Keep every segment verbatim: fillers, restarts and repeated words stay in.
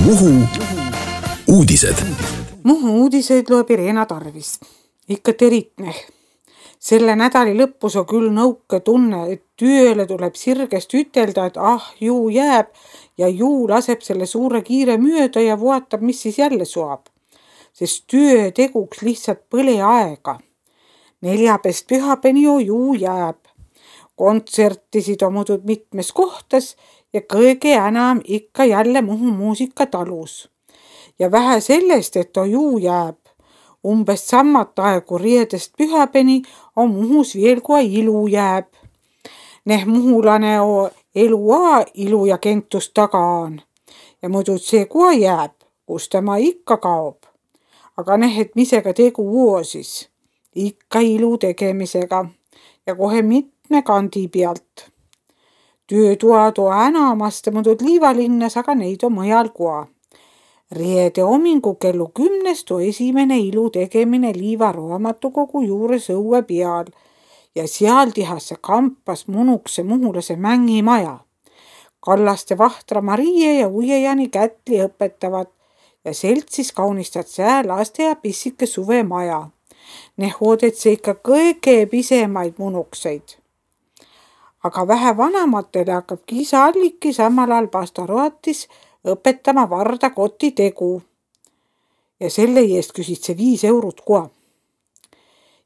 Muhu uudised. Muhu uudiseid loeb Irena Tarvis. Ikka teritne. Selle nädali lõpus on küll nõuke tunne, et tööle tuleb sirgest ütelda, et ah, juu jääb ja juu laseb selle suure kiire mööda ja vaatab, mis siis jälle suab. Sest töö teguks lihtsalt põle aega. Neljapäevast pühapäevani juu jääb. Kontsertisid on muudud mitmes kohtas ja kõige enam ikka jälle Muhu muusikatalus. Ja vähe sellest, et on juu jääb. Umbes sammat aegu reedest pühapäevani on Muhus veel kui ilu jääb. Neh muhulane on elua ilu ja kentus taga on. Ja muidu see kui jääb, kus tema ikka kaob. Aga neh, et misega tegu uo siis. Ikka ilu tegemisega ja kohe mitme kandi pealt. Töötuad on enamasti muudud Liivalinnas, aga neid on mõjal koa. Reede homingu kellu kümnest on esimene ilu tegemine Liiva raamatukogu juures õue peal ja seal tehase kampas munukse muhulase mängimaja. Kallaste Vahtra Marie ja Uiejani Kätli õpetavad ja seltsis kaunistad sää laste ja pissike suvemaja. Neh oodetse ikka kõige pisemaid munukseid. Aga vähe vanamatele hakkab Kiisa Alliki samal ajal pastoratis õpetama Varda koti tegu. Ja selle eest küsid see viis eurot koa.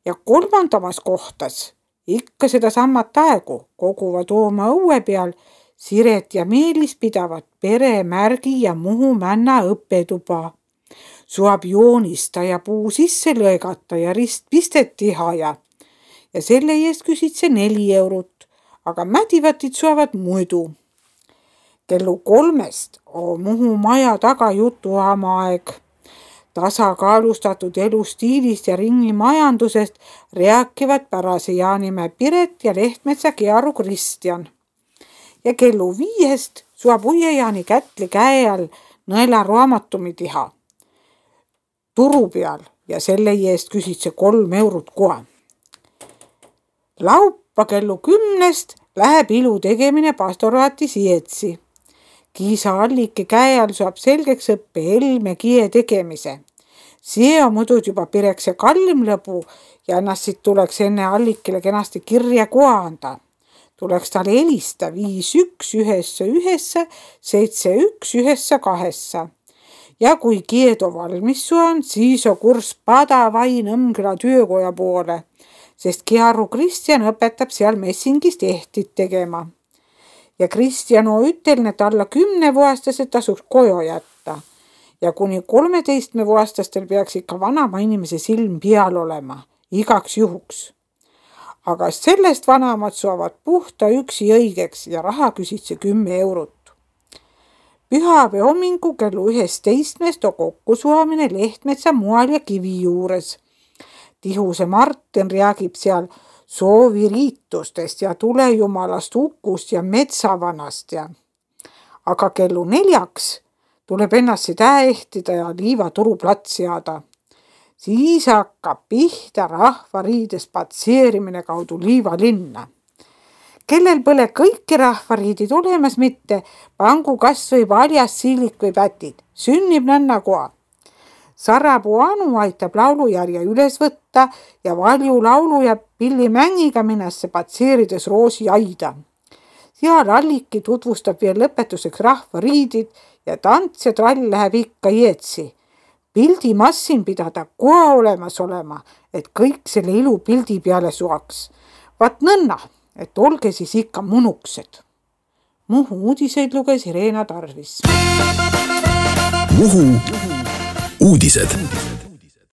Ja kolmandamas kohtas ikka seda sammat aegu koguvad oma õue peal Siret ja Meelis pidavad peremärgi ja Muhu männa õppetuba. Suab joonista ja puu sisse lõigata ja ristpistet teha ja. Ja selle eest küsid see neli eurot, aga mädivatid suavad muidu. Kellu kolmest on Muhu maja taga jutuama aeg. Tasakaalustatud elustiilist ja ringimajandusest rääkivad pärase Jaanimäe Piret ja Lehtmetsa Gearu Kristjan. Ja kellu viiest suab Uiejani Kätli käe all nõela raamatumi teha. Turu peal ja selle eest küsid see kolm eurot kohe. Laupa kellu kümnest läheb ilu tegemine pastoraati Sietsi. Kiisa Alliki käe all saab selgeks õppe helme kie tegemise. See on muudud juba pireks ja kallim lõbu ja ennast siit tuleks enne Allikile kenasti kirja koa anda. Tuleks tal helista viis üks ühesse ühesse seitse üks ühesse kahessa. Ja kui kiedo valmis on, siis on kurs Padavai Nõmmküla töökoja poole, sest Gearu Kristjan õpetab seal messingist ehtit tegema. Ja Kristjan on ütelnud, et alla kümne vuostased tasuks koju jätta. Ja kuni kolmeteistme vuostastel peaks ikka vanama inimese silm peal olema, igaks juhuks. Aga sellest vanamad suavad puhta üksi õigeks ja raha küsid see kümme eurot. Pühapäeva homingu kellu üheteistkümnest on kokkusuamine Lehtmetsa Mual ja Kivi juures. Tihuse Martin räägib seal sooviriitustest ja tulejumalast Ukust ja metsavanast. Ja. Aga kellu neljaks tuleb ennast seda ehtida ja Liiva turuplats seada. Siis hakkab pihta rahvariide spatseerimine kaudu Liiva linna. Kellel pole kõiki rahvariidid olemas mitte, pangu kas või valjas siilik või pätid. Sünnib nõnna koa. Sarapuu Anu aitab laulujärje üles võtta ja valju laulu ja pilli mängiga minnasse patseerides Roosi aida. Seal Alliki tutvustab veel lõpetuseks rahvariidid ja tants ja trall läheb ikka jeetsi. Pildi massin pidada koa olemas olema, et kõik selle ilu pildi peale suaks. Vaat nõnna, et olge siis ikka munuksed. Muhu uudiseid luges Irena Tarvis. Muhu uudised.